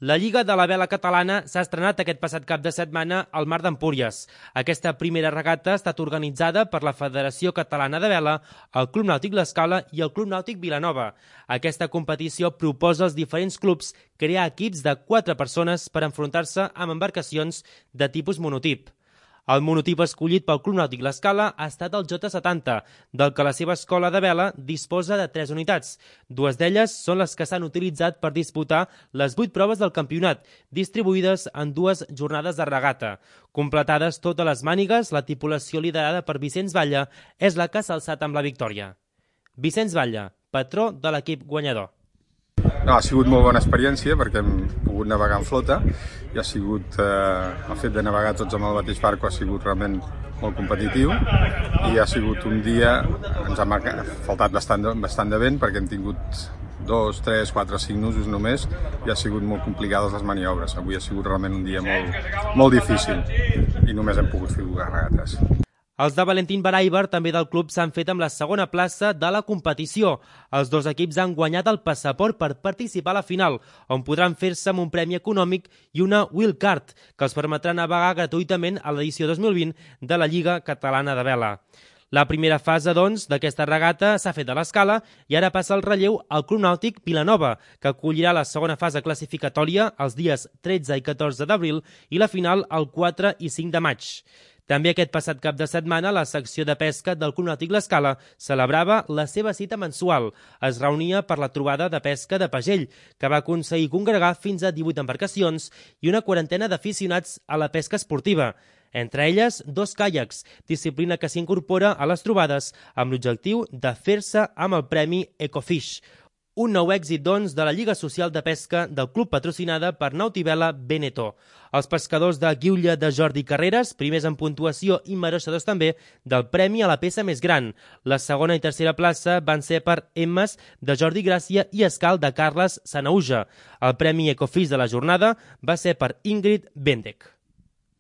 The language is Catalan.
La Lliga de la Vela Catalana s'ha estrenat aquest passat cap de setmana al Mar d'Empúries. Aquesta primera regata ha estat organitzada per la Federació Catalana de Vela, el Club Nàutic L'Escala i el Club Nàutic Vilanova. Aquesta competició proposa als diferents clubs crear equips de 4 persones per enfrontar-se amb embarcacions de tipus monotip. El monotip escollit pel Club Nàutic L'Escala ha estat el J70, del que la seva escola de vela disposa de 3 unitats. 2 d'elles són les que s'han utilitzat per disputar les 8 proves del campionat, distribuïdes en 2 jornades de regata. Completades totes les mànigues, la tripulació liderada per Vicenç Batlle és la que s'ha alçat amb la victòria. Vicenç Batlle, patró de l'equip guanyador. No, ha sigut molt bona experiència perquè hem pogut navegar en flota i ha sigut el fet de navegar tots amb el mateix barco ha sigut realment molt competitiu i ha sigut un dia, ens ha faltat bastant de vent perquè hem tingut 2, 3, 4, 5 nusos només i ha sigut molt complicades les maniobres. Avui ha sigut realment un dia molt difícil i només hem pogut fer 2 regates. Els de Valentín Baraiber, també del club, s'han fet amb la segona plaça de la competició. Els 2 equips han guanyat el passaport per participar a la final, on podran fer-se amb un premi econòmic i una wildcard, que els permetrà navegar gratuïtament a l'edició 2020 de la Lliga Catalana de Vela. La primera fase, doncs, d'aquesta regata s'ha fet a l'Escala i ara passa el relleu al Club Nàutic Vilanova, que acollirà la segona fase classificatòria els dies 13 i 14 d'abril i la final el 4 i 5 de maig. També aquest passat cap de setmana, la secció de pesca del Club Nàutic L'Escala celebrava la seva cita mensual. Es reunia per la trobada de pesca de Pagell, que va aconseguir congregar fins a 18 embarcacions i una quarantena d'aficionats a la pesca esportiva. Entre elles, 2 caiacs, disciplina que s'incorpora a les trobades amb l'objectiu de fer-se amb el premi Ecofish. Un nou èxit, doncs, de la Lliga Social de Pesca del club patrocinada per Nautivela Veneto. Els pescadors de Guiulla de Jordi Carreras, primers en puntuació i mereixedors també del premi a la peça més gran. La segona i tercera plaça van ser per Emmes de Jordi Gràcia i Escal de Carles Sanauja. El premi Ecofish de la jornada va ser per Ingrid Bendek.